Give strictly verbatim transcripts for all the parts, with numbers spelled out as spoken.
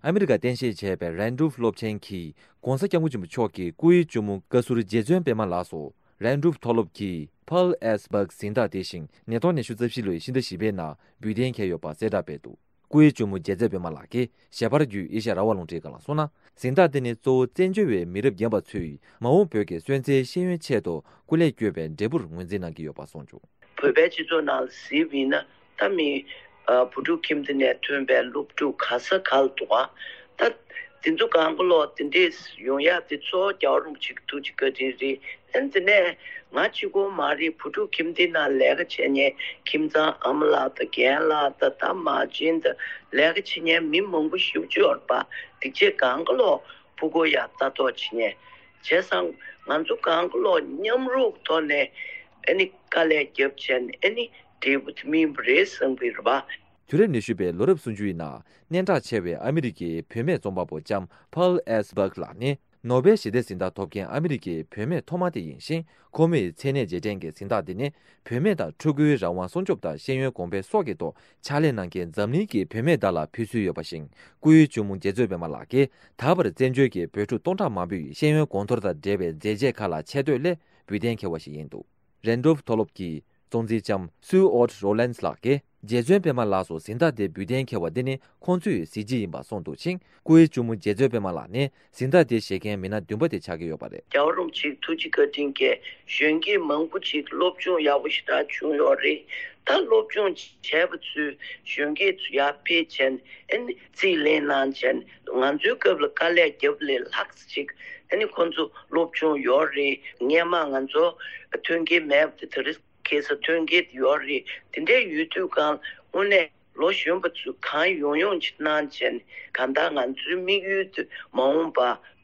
ཨ་མི་རི་ཀ་རྟེན་གཞི་བྱས་པའི་རན་ཌོལཕ་སློབ་ཆེན་གྱིས་༧གོང་ས་༧སྐྱབས་མགོན་ཆེན་པོ་མཆོག་གི་སྐུའི་གཅུང་མོ་བཀའ་ཟུར་རྗེ་བཙུན་པད་མ་ལགས་སུ་རན་ཌོལཕ་མཐོ་སློབ་ཀྱི་Pearl S Buck གཟེངས་རྟགས་དེ་བཞིན་ཉིས་སྟོང་ཉི་ཤུ་རྩ་བཞི་ལོའི་ཕྱི་ཟླ་བཞི་པའི་ནང་འབུལ་གཏན་འཁེལ་ཡོད་པ་གསལ་བསྒྲགས་སྤེལ་འདུག་སྐུའི་གཅུང་མོ་རྗེ་བཙུན་པད་མ་ལགས་ཀྱིས་ཞལ་པར་བརྒྱུད་ཨེ་ཤ་ཡ་རང་དབང་རླུང་འཕྲིན་ཁང་ལ་གསུངས་ན། གཟེངས་རྟགས་དེ་ནི་གཙོ་བོ་བཙན་བྱོལ་བའི་མི་རབས་རྒན་པ་ཚོས་མ་འོངས་བོད་ཀྱི་སོན་རྩའི་ཤེས་ཡོན་ཆེད་དུ་སྐུ་ལས་བསྐྱོན་པའི་འབྲས་བུར་ངོས་འཛིན་གནང་གི་ཡོད་པ་གསུངས་བྱུང་། བོད་པའི་སྤྱི་ཚོགས་ནང་ལ་གཟིགས་པ་ཡིན་ན། ད་མི་ཨ་བུ་ཕྲུག་ཁྱིམ་སྡེ་ནས་ཐོན་པའི་སློབ་ཕྲུག་ག་ས་ག་ལ་འདུག་ག་ད་དེ་ཚོ་གང་ག་ལོག་དེ་འདྲས་ཡོང་ཡག་དེ་གཙོ་བོ་རྒྱལ་བ་རིན་པོ་ཆེ་གི་ཐུགས་རྗེ་བཀའ་དྲིན་རེད། ཨ་ནི་དེ་ནས་ང་གཅིག་པོ་མ་རེད། བུ་ཕྲུག་ཁྱིམ་སྡེ་ནང་ལས་ཀ་བྱེད་མཁན་ཁྱིམ་ཚང་ཨ་མ་ལགས་དང་རྒན་ལགས་དང་ད་མ་བྱན་དང་ལས་ཀ་བྱེད་མཁན་མི་མང་པོ་ཞེ་པོ་ཅིག་ཡོད་རེད་པ། དེ་ཚོ་གང་ག་ལོག་ཕྲུ་གུ་ཡར་ལྟ་རྟོག་བྱེད་མཁན། བྱས་ཙང་ང་ཚོ་གང་ག་ལོག་མཉམ་རུབ་ཐོག་ནས་ཨ་ནི་དཀའ་ལས་རྒྱབ་བྱས་ནས་ཨ་ནི་འབྲས་བུ་དེ་སྨིན་པ་རེད་བསམ་གྱི་རེད་པ། དུས་རབས་ཉི་ཤུ་པའི་ལོ་རབས་སུམ་ཅུ་ཡི་ནང་སྙན་གྲགས་ཆེ་བའི་ཨ་མི་རི་ཀའི་བུད་མེད་རྩོམ་པ་པོ་ལྕམ་Pearl S Buck ལགས་ནི་ནོ་བེལ་ཞི་བདེ་གཟེངས་རྟགས་ཐོབ་མཁན་ཨ་མི་རི་ཀའི་བུད་མེད་ཐོག་མ་དེ་ཡིན་ཞིང་། ཁོ་མོས་མཚན་གནས་རྗེས་དྲན་གྱི་གཟེངས་རྟགས་འདི་ནི་བུད་མེད་དང་ཕྲུ་གུའི་རང་དབང་སྲུང་སྐྱོབ་དང་ཤེས་ཡོན་གོང་འཕེལ་སོགས་ཀྱི་ཐོག་ཕྱག་ལས་གནང་མཁན་འཛམ་གླིང་གི་བུད་མེད་དག་ལ་ཕུལ་སྲོལ་ཡོད་པ་བཞིན། སྐུའི་གཅུང་མོ་རྗེ་བཙུན་པད་མ་ལགས་ཀྱིས་ད་བར་བཙན་བྱོལ་གྱི་བོད་ཕྲུག་སྟོང་ཕྲག་མང་པོས་ཤེས་ཡོན་གོང་མཐོར་དང་འབྲེལ་བའི་མཛད་རྗེས་ཁག་ལ་ཆེ་བསྟོད་སླད་འབུལ་གཏན་འཁེལ་བ་ཞིག་ཡིན་འདུག་རན་ཌོལཕ་མཐོ་སློབ་ཀྱི་གཙོ་འཛིན་ལྕམ་སུའུ་ཨོཊ་རོ་ལན་སི་ལགས་ཀྱིས། རྗེ་བཙུན་པད་མ་ལགས་སུ་གཟེངས་རྟགས་དེ་འབུལ་གཏན་འཁེལ་བ་འདི་ནི་ཁོང་ཚོའི་གཟི་བརྗིད་ཡིན་པ་གསུངས་འདུག་ཅིང་། སྐུའི་གཅུང་མོ་རྗེ་བཙུན་པད་མ་ལགས་ནི་གཟེངས་རྟགས་དེ་བཞེས་མཁན་མི་སྣ་བདུན་པ་དེ་ཆགས་ཀྱི་ཡོད་པ་རེད། རྒྱལ་བ་རིན་པོ་ཆེའི་ཐུགས་རྗེ་བཀའ་དྲིན་གྱིས་གཞོན་སྐྱེས་མང་པོ་ཅིག་སློབ་སྦྱོང་ཡག་པོ་ཞེ་དྲག་བྱུང་ཡོད་རེད། ད་སློབ་སྦྱོང་བྱས་པ་ཚོས་གཞོན་སྐྱེས་ཚོ་ཡར་ཕེབས་བྱས་ནས་ཨ་ནི་རྩིས་ལེན་གནང་བྱས་ནས་ང་ཚོའི་སྐབས་ལ་དཀའ་ལས་བརྒྱབ་ལས་ལྷག་ཅིག་ཨ་ནི་ཁོང་ཚོ་སློབ་སྦྱོང་ཡོད་རེད། སྔས་མ་ང་ཚོ་ཐོན་སྐྱེད་མེད་པ་དེ་དེ་རིང་ཁ་སང་ཐོན་སྐྱེད་ཡོད་རེད། དེ་འདྲའི་ཡོད་དུས་གང་དངོས་གནས་ལོ་གཞོན་པ་ཚོས་གང་ཡོང་ཡོང་ཅིག་གནང་བྱས་ནས་གང་ལྟར་ང་ཚོའི་དམིགས་ཡུལ་དེ་མ་འོངས་པ་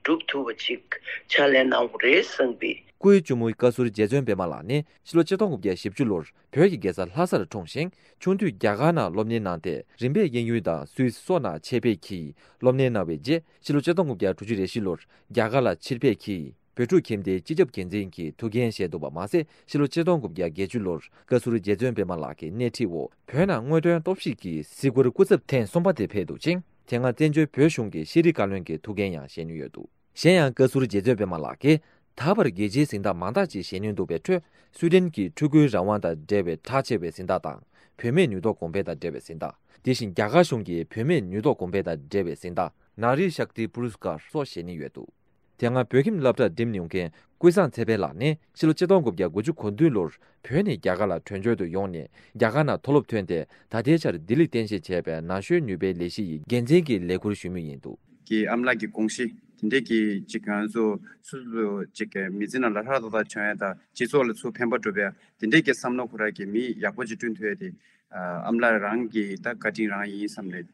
འགྲུབ་ཐུབ་པ་ཅིག་ཕྱག་ལས་གནང་དགོས་རེད་བསམ་པའི། སྐུའི་གཅུང་མོའི་བཀའ་ཟུར་རྗེ་བཙུན་པད་མ་ལགས་ནི་ཕྱི་ལོ་ཆིག་སྟོང་དགུ་བརྒྱ་བཞི་བཅུ་ལོར་བོད་ཀྱི་རྒྱལ་ས་ལྷ་སར་འཁྲུངས་ཤིང་། ཆུང་དུས་རྒྱ་གར་ནང་སློབ་གཉེར་གནང་སྟེ། རིམ་པས་དབྱིན་ཡུལ་དང་སུད་སི་སོགས་ནང་ཆེད་ཕེབས་ཀྱིས་སློབ་གཉེར་གནང་བའི་རྗེས། ཕྱི་ལོ་ཆིག་སྟོང་དགུ་བརྒྱ་དྲུག་ཅུ་རེ་བཞི་ལོར་རྒྱ་གར་ལ་ཕྱིར་ཕེབས་ཀྱིས། བོད་ཕྲུག་ཁྱིམ་སྡེའི་སྤྱི་ཁྱབ་འགན་འཛིན་གྱི་ཐུགས་འགན་བཞེས་འདུག་པ་མ་ཟད། ཕྱི་ལོ་ཆིག་སྟོང་དགུ་བརྒྱ་བརྒྱད་ཅུ་ལོར་བཀའ་ཟུར་རྗེ་བཙུན་པད་མ་ལགས་ཀྱི་སྣེ་ཁྲིད་འོག་བོད་ནང་དངོས་དོན་རྟོག་ཞིབ་ཀྱི་གཟིགས་སྐོར་སྐུ་ཚབ་ཐེངས་གསུམ་པ་དེ་ཕེབས་འདུག་ཅིང་། དེ་སྔ་བཙན་བྱོལ་བོད་གཞུང་གི་ཤེས་རིག་བཀའ་བློན་གྱི་ཐུགས་འགན་ཡང་བཞེས་མྱོང་ཡོད་འདུག་གཞན་ཡང་བཀའ་ཟུར་རྗེ་བཙུན་པད་མ་ལགས་ཀྱིས་ད་བར་རྒྱལ་སྤྱིའི་གཟེངས་རྟགས་མང་དག་ཅིག་བཞེས་མྱོང་འདུག་པའི་ཁྲོད། སུའེ་ཌེན་གྱི་ཕྲུ་གུའི་རང་དབང་དང་འབྲེལ་བའི་གྲགས་ཆེ་བའི་གཟེངས་རྟགས་དང་། བུད་མེད་ནུས་སྟོབས་གོང་འཕེལ་དང་འབྲེལ་བའི་གཟེངས་རྟགས། དེ་བཞིན་རྒྱ་གར་གཞུང་གི་བུད་མེད་ནུས་སྟོབས་གོང་འཕེལ་དང་འབྲེལ་བའི་གཟེངས་རྟགས་ནཱ་རི་ཤཀ་ཏི་པུ་རུས་ཀར་སོགས་བཞེས་མྱོང་ཡོད་འདུག་དེ་སྔ་བོད་ཁྱིམ་སློབ་གྲྭར་འགྲིམས་མྱོང་མཁན་ཀུན་བཟང་ཚེ་འཕེལ་ལགས་ནི་ཕྱི་ལོ་ཆིག་སྟོང་དགུ་བརྒྱ་དགུ་བཅུ་གོ་བདུན་ལོར་བོད་ནས་རྒྱ་གར་ལ་བྲོས་བྱོལ་དུ་ཡོང་ནས་རྒྱ་གར་ནང་མཐོ་སློབ་ཐོན་ཏེ། ད་ལྟའི་ཆར་ལྡི་ལིར་རྟེན་གཞི་བྱས་པའི་ན་གཞོན་ནུས་པའི་ལས་གཞི་ཡི་འགན་འཛིན་གྱི་ལས་ཁུར་ཞུ་མུས་ཡིན་འདུག་གི་ཨ་མ་ལགས་ཀྱི་དགོངས་གཞི་དེ་འདྲས་ཀྱི་ཅིག་ང་ཚོ་སོ་སོ་ཅིག་གི་མི་ཚེ་ནང་ལ་ལྷ་ཐོག་ཐག་བྱུང་ཡ་དང་སྤྱི་ཚོགས་ལ་ཚུར་ཕན་པ་སྒྲུབ་ཡ་དེ་འདྲས་ཀྱི་བསམ་བློ་ཁོ་རང་གི་མི་ཡག་པོ་ཅིག་བསྐྲུན་ཐུབ་ཡ་དེ་ཨ་མ་ལགས་རང་གི་ད་བཀའ་དྲིན་རང་ཡིན་བསམ་ནས་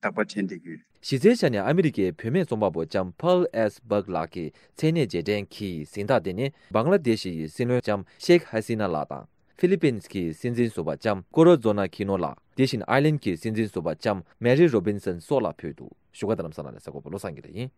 རྟག་པར་དྲན་བསྡད་ཀྱི་ཡོད། གཞི་རྩའི་ཆ་ནས་ཨ་མི་རི་ཀའི་བུད་མེད་རྩོམ་པ་པོ་ལྕམ་Pearl S Buck ལགས་ཀྱི་མཚན་གནས་རྗེས་དྲན་གྱི་གཟེངས་རྟགས་དེ་ནི་བང་ལ་དེ་ཤི་ཡི་སྲིད་བློན་ལྕམ་ཤེག་ཧ་སི་ན་ལགས་དང་། ཧྥི་ལི་པིན་གྱི་སྲིད་འཛིན་ཟུར་པ་ལྕམ་ཀོ་རོ་ཛོ་ན་ཁི་ནོ་ལགས། དེ་བཞིན་ཨའི་ལན་གྱི་སྲིད་འཛིན་ཟུར་པ་ལྕམ་མེ་རི་རོ་བིན་སན་སོགས་ལ་ཕུལ་འདུག་བཞུགས་སྒར་རྡ་རམ་ས་ལ་ནས་གསར་འགོད་པ་བློ་བཟང་གིས་ལ་ཡིན།